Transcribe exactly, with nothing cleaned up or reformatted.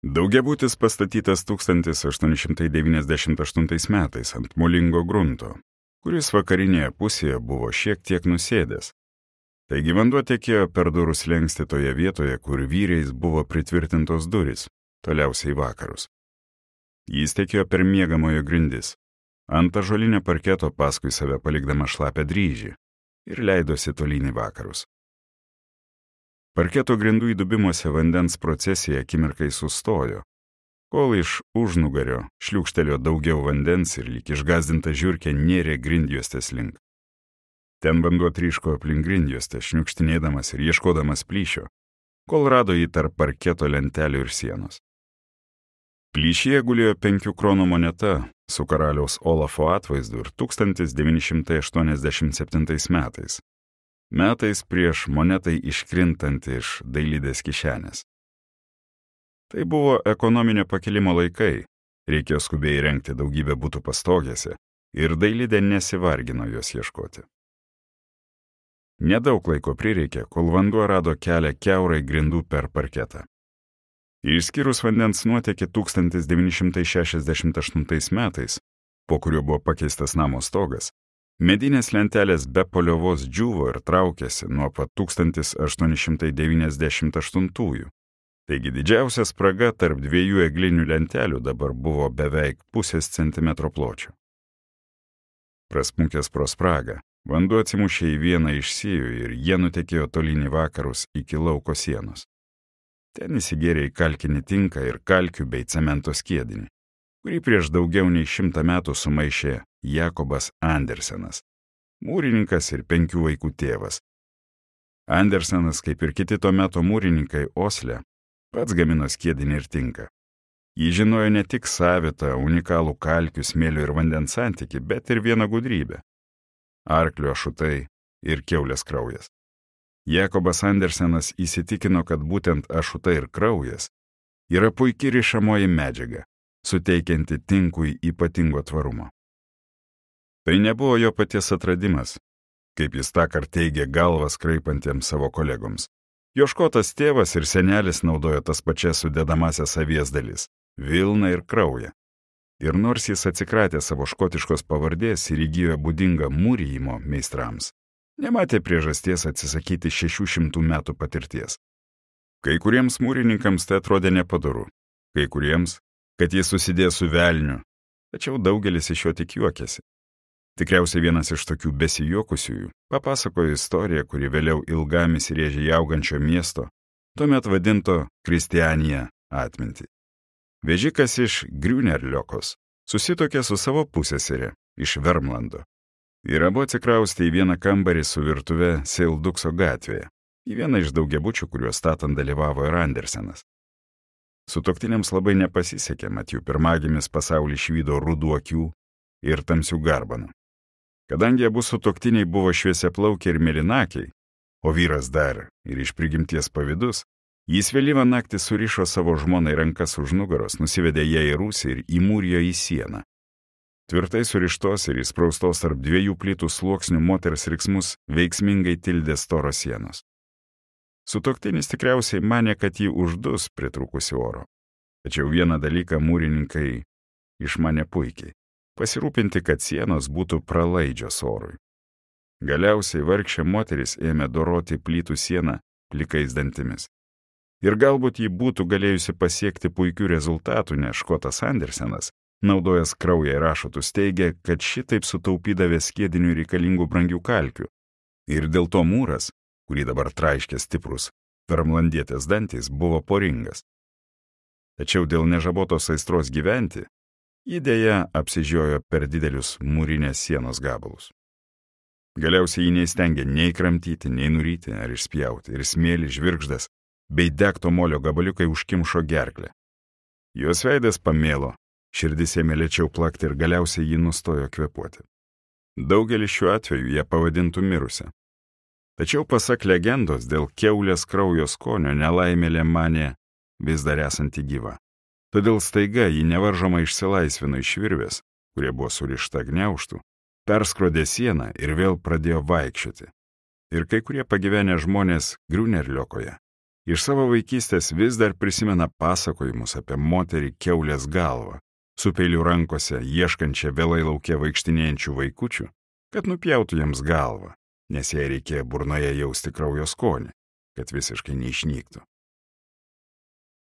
Daugiabutis pastatytas tūkstantis aštuoni šimtai devyniasdešimt aštuntais metais ant molingo grunto, kuris vakarinėje pusėje buvo šiek tiek nusėdęs. Taigi vanduo tekėjo per durų slenkstį toje vietoje, kur vyriais buvo pritvirtintos durys, toliausiai į vakarus. Jis tekėjo per miegamojo grindis, ant ąžuolinio parketo paskui save palikdama šlapę dryžį ir leidosi tolyn į vakarus. Parketo grindų įdubimuose vandens procesija akimirkai sustojo, kol iš užnugario šliūkštelėjo daugiau vandens ir lyg išgąsdinta žiurkė nėrė grindjuostės link. Ten vanduo tryško aplink grindjuostę, šniukštinėdamas ir ieškodamas plyšio, kol rado jį tarp parketo lentelių ir sienos. Plyšyje gulėjo penkių kronų moneta su karaliaus Olafo atvaizdu ir tūkstantis devyni šimtai aštuoniasdešimt septintais metais. Metais prieš monetai iškrintant iš dailidės kišenės. Tai buvo ekonominio pakilimo laikai, reikėjo skubiai įrengti daugybę butų pastogėse ir dailidė nesivargino jos ieškoti. Nedaug laiko prireikė, kol vanduo rado kelią kiaurai grindų per parketą. Išskyrus vandens nuotėkį tūkstantis devyni šimtai šešiasdešimt aštuntais metais, po kuriuo buvo pakeistas namo stogas, medinės lentelės be paliovos džiūvo ir traukėsi nuo pat tūkstantis aštuoni šimtai devyniasdešimt aštuntųjų. Taigi didžiausia spraga tarp dviejų eglinių lentelių dabar buvo beveik pusės centimetro pločio. Prasmunkęs pro spragą, vanduo atsimušė į vieną iš siejų ir jie nutekėjo tolyn į vakarus iki lauko sienos. Ten įsigėrė į kalkinį tinką ir kalkių bei cemento skiedinį, kurį prieš daugiau nei šimtą metų sumaišė Jakobas Andersenas, mūrininkas ir penkių vaikų tėvas. Andersenas, kaip ir kiti to meto mūrininkai Osle, pats gamino skiedinį ir tinką. Jis žinojo ne tik savitą, unikalų kalkių, smėlio ir vandens santykį, bet ir vieną gudrybę – arklio ašutai ir kiaulės kraujas. Jakobas Andersenas įsitikino, kad būtent ašutai ir kraujas yra puikiai rišamoji medžiaga, suteikianti tinkui ypatingo tvarumo. Tai nebuvo jo paties atradimas, kaip jis tąkart teigė galvas kraipantiems savo kolegoms. Jo škotas tėvas ir senelis naudojo tas pačias sudedamasias avies dalis – vilną ir kraują. Ir nors jis atsikratė savo škotiškos pavardės ir įgijo būdingą mūrijimo meistrams, nematė priežasties atsisakyti šešių šimtų metų patirties. Kai kuriems mūrininkams tai atrodė nepadoru, kai kuriems, kad jis susidės su velniu, tačiau daugelis iš jo tik juokėsi. Tikriausiai vienas iš tokių besijuokusiųjų papasakojo istoriją, kuri vėliau ilgam įsirėžė į augančio miesto, tuomet vadinto Kristianija atmintį. Vežikas iš Griunerliokos susitokė su savo pusseserė iš Vermlando ir abu atsikraustė į vieną kambarį su virtuve Seildukso gatvėje, į vieną iš daugiabučių, kuriuos statant dalyvavo ir Andersenas. Sutuoktiniams labai nepasisekė, mat jų pirmagimis pasaulį išvydo rudų akių ir tamsių garbanų. Kadangi abu sutuoktiniai buvo šviesiaplaukiai ir mėlynakiai, o vyras dar ir iš prigimties pavydus, jis vėlyvą naktį surišo savo žmonai rankas už nugaros, nusivedė ją į rūsį ir įmūrijo į sieną. Tvirtai surištos ir įspraustos tarp dviejų plytų sluoksnių moters riksmus veiksmingai tildė storos sienos. Sutuoktinis tikriausiai manė, kad jį uždus pritrūkusi oro. Tačiau vieną dalyką mūrininkai išmanė puikiai – pasirūpinti, kad sienos būtų pralaidžios orui. Galiausiai vargšė moteris ėmė doroti plytų sieną plikais dantimis. Ir galbūt ji būtų galėjusi pasiekti puikių rezultatų, nes škotas Andersenas, naudojęs kraują ir ašutus, teigė, kad šitaip sutaupydavė skiedinių reikalingų brangių kalkių. Ir dėl to mūras, kurį dabar traiškė stiprus vermlandietės dantys, buvo poringas. Tačiau dėl nežabotos aistros gyventi, ji dėja apsižiojo per didelius mūrinės sienos gabalus. Galiausiai ji neįstengė nei kramtyti, nei nuryti ar išspjauti, ir smėlį, žvirgždas bei degto molio gabaliukai užkimšo gerklę. Jos veidas pamėlo, širdis ėmė lėčiau plakti ir galiausiai ji nustojo kvėpuoti. Daugelis šiuo atveju ją pavadintų mirusią. Tačiau pasak legendos, dėl kiaulės kraujo skonio nelaimėlė manė vis dar esanti gyva. Todėl staiga ji nevaržomai išsilaisvino iš virvės, kurie buvo surišta gniaužtų, perskrodė sieną ir vėl pradėjo vaikščioti. Ir kai kurie pagyvenę žmonės Griunerliokoje Iš savo vaikystės vis dar prisimena pasakojimus apie moterį kiaulės galvą, su peiliu rankose ieškančią vėlai lauke vaikštinėjančių vaikučių, kad nupjautų jiems galvą, nes jai reikėjo burnoje jausti kraujo skonį, kad visiškai neišnyktų.